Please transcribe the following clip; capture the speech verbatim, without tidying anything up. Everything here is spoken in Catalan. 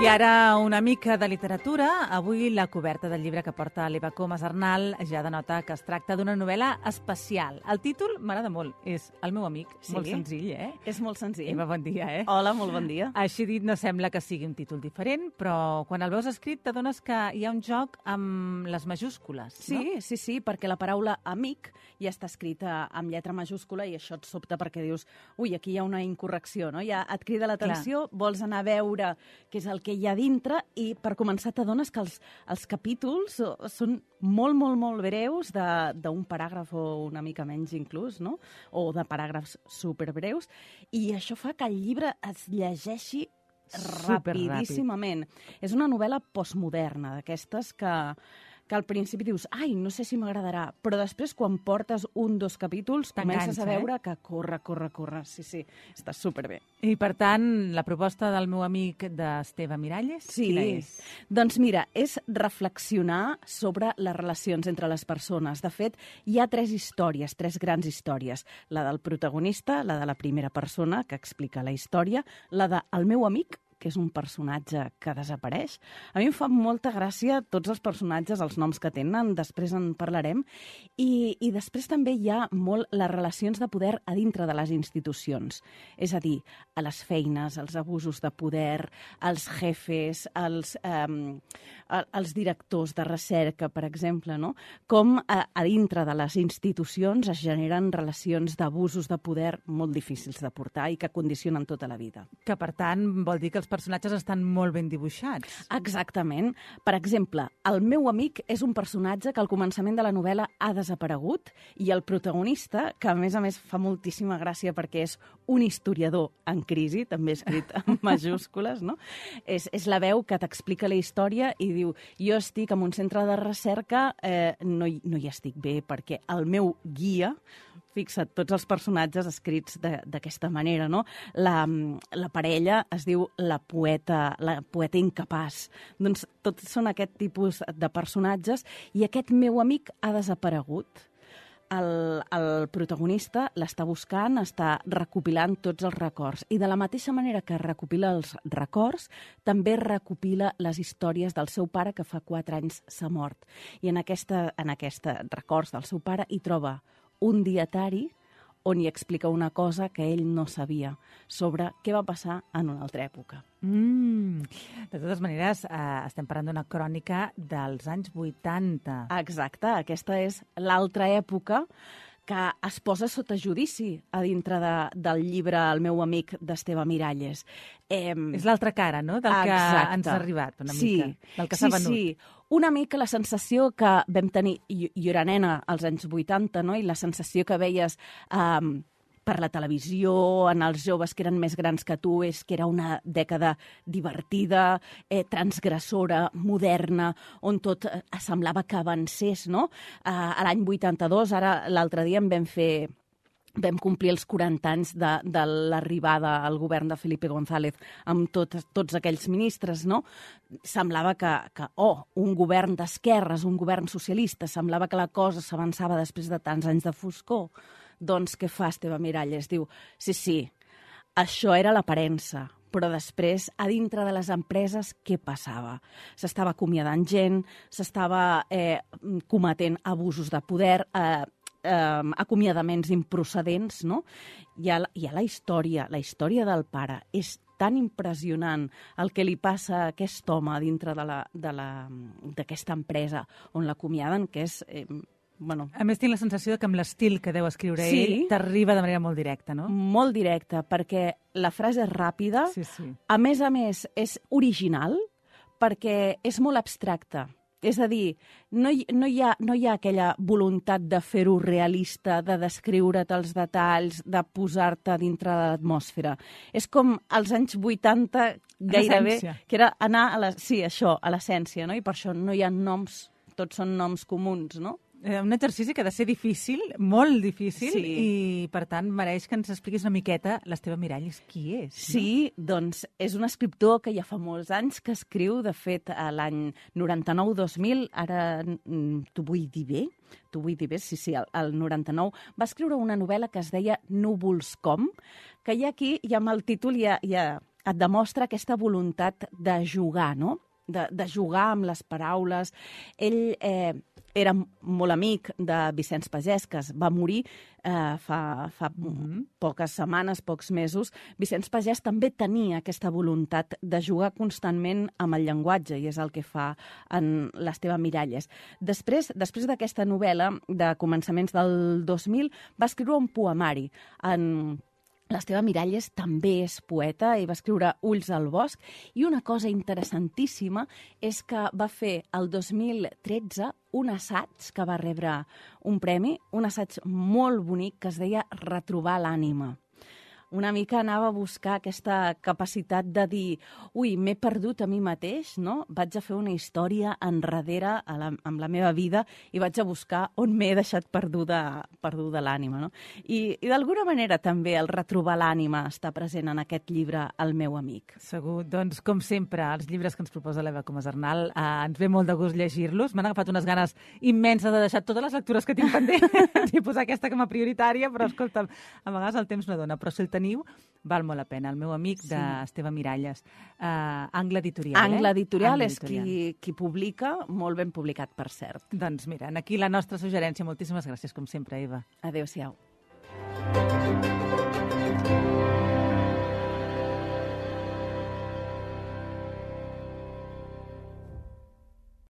I ara una mica de literatura. Avui la coberta del llibre que porta l'Eva Comas Arnal ja denota que es tracta d'una novel·la especial. El títol m'agrada molt, és El meu amic. Sí. Molt senzill, eh? És molt senzill. Eva, bon dia, eh? Hola, molt bon dia. Així dit, no sembla que sigui un títol diferent, però quan el veus escrit t'adones que hi ha un joc amb les majúscules, Sí, no? sí, sí, perquè la paraula amic ja està escrita amb lletra majúscula i això et sobta perquè dius, ui, aquí hi ha una incorrecció, no? Ja et crida l'atenció, vols anar a veure què és el que hi ha dintre i per començar t'adones que els, els capítols són molt, molt, molt breus, d'un paràgraf o una mica menys inclús, no? O de paràgrafs superbreus, i això fa que el llibre es llegeixi rapidíssimament. És una novel·la postmoderna, d'aquestes que, que al principi dius, ai, no sé si m'agradarà, però després quan portes un, dos capítols comences a veure que corre, corre, corre. Sí, sí, està superbé. I per tant, la proposta del meu amic d'Esteve Miralles, sí. Quina és? Doncs mira, és reflexionar sobre les relacions entre les persones. De fet, hi ha tres històries, tres grans històries. La del protagonista, la de la primera persona, que explica la història, la de el meu amic, que és un personatge que desapareix. A mi em fa molta gràcia tots els personatges, els noms que tenen, després en parlarem, i, i després també hi ha molt les relacions de poder a dintre de les institucions. És a dir, a les feines, els abusos de poder, els jefes, els, eh, els directors de recerca, per exemple, no? Com a, a dintre de les institucions es generen relacions d'abusos de poder molt difícils de portar i que condicionen tota la vida. Que, per tant, vol dir que els personatges estan molt ben dibuixats. Exactament. Per exemple, el meu amic és un personatge que al començament de la novel·la ha desaparegut i el protagonista, que a més a més fa moltíssima gràcia perquè és un historiador en crisi, també escrit en majúscules, no? És, és la veu que t'explica la història i diu, jo estic en un centre de recerca, eh, no, hi, no hi estic bé perquè el meu guia, fixa't, tots els personatges escrits d'aquesta manera, no? La, la parella es diu la poeta, la poeta incapaç. Doncs tots són aquest tipus de personatges i aquest meu amic ha desaparegut. El, el protagonista l'està buscant, està recopilant tots els records. I de la mateixa manera que recopila els records, també recopila les històries del seu pare, que fa quatre anys s'ha mort. I en aquesta, en aquesta records del seu pare hi troba un dietari on hi explica una cosa que ell no sabia sobre què va passar en una altra època. Mm. De totes maneres, eh, estem parlant d'una crònica dels anys vuitanta. Exacte, aquesta és l'altra època que es posa sota judici a dintre de, del llibre El meu amic d'Esteve Miralles. Eh, és l'altra cara, no?, del que exacte. ens ha arribat, una sí. mica, del que sí, s'ha venut. Sí, una mica la sensació que vam tenir, jo, jo era nena als anys vuitanta, no?, i la sensació que veies eh, per la televisió, en els joves que eren més grans que tu, és que era una dècada divertida, eh, transgressora, moderna, on tot eh, semblava que avancés, no? Eh, a l'any vuitanta-dos, ara l'altre dia em vam fer... vam complir els quaranta anys de, de l'arribada al govern de Felipe González amb tot, tots aquells ministres, no? Semblava que, que, oh, un govern d'esquerres, un govern socialista, semblava que la cosa s'avançava després de tants anys de foscor. Doncs què fa Esteve Miralles? Diu, sí, sí, això era l'aparença, però després, a dintre de les empreses, què passava? S'estava acomiadant gent, s'estava eh, cometent abusos de poder, eh, eh, acomiadaments improcedents, no? Hi ha, hi ha la història, la història del pare. És tan impressionant el que li passa a aquest home dintre de la, de la, d'aquesta empresa on l'acomiaden, que és... Eh, Bueno, a més, tinc la sensació que amb l'estil que deu escriure sí, ell t'arriba de manera molt directa, no? Molt directa, perquè la frase és ràpida, sí, sí. A més a més és original, perquè és molt abstracta. És a dir, no hi, no hi, ha, no hi ha aquella voluntat de fer-ho realista, de descriure't els detalls, de posar-te dintre de l'atmosfera. És com als anys vuitanta gairebé, que era anar a la, sí, això, a l'essència, no? I per això no hi ha noms, tots són noms comuns, no? Un exercici que ha de ser difícil, molt difícil, sí. I per tant mereix que ens expliquis una miqueta l'Esteve Miralles qui és. Sí, no? Doncs és un escriptor que ja fa molts anys que escriu, de fet, a l'any noranta-nou dos mil, ara t'ho vull dir bé, t'ho vull dir bé, sí, sí, el, el noranta-nou, va escriure una novel·la que es deia Núvols com, que ja aquí, ja amb el títol, ja, ja, et demostra aquesta voluntat de jugar, no? De, de jugar amb les paraules. Ell eh, era molt amic de Vicenç Pagès, que es va morir eh, fa, fa mm-hmm. poques setmanes, pocs mesos. Vicenç Pagès també tenia aquesta voluntat de jugar constantment amb el llenguatge, i és el que fa en l'Esteve Miralles. Després després d'aquesta novel·la, de començaments del dos mil, va escriure un poemari en... L'Esteve Miralles també és poeta i va escriure Ulls al bosc, i una cosa interessantíssima és que va fer el dos mil tretze un assaig que va rebre un premi, un assaig molt bonic que es deia Retrobar l'ànima. Una mica anava a buscar aquesta capacitat de dir ui, m'he perdut a mi mateix, no? Vaig a fer una història enrere a la, amb la meva vida i vaig a buscar on m'he deixat perduda, perduda l'ànima, no? I, i d'alguna manera també el retrobar l'ànima està present en aquest llibre, El meu amic. Segur. Doncs, com sempre, els llibres que ens proposa l'Eva Comas Arnal, eh, ens ve molt de gust llegir-los. M'han agafat unes ganes immenses de deixar totes les lectures que tinc pendents i posar aquesta com a prioritària, però escolta, a vegades el temps no dona, però si el teniu, val molt la pena. El meu amic, sí. d'Esteve Miralles. Uh, Angle Editorial, Angle eh? Editorial Angle és Editorial. Qui, qui publica, molt ben publicat, per cert. Doncs mira, aquí la nostra suggerència. Moltíssimes gràcies, com sempre, Eva. Adéu-siau.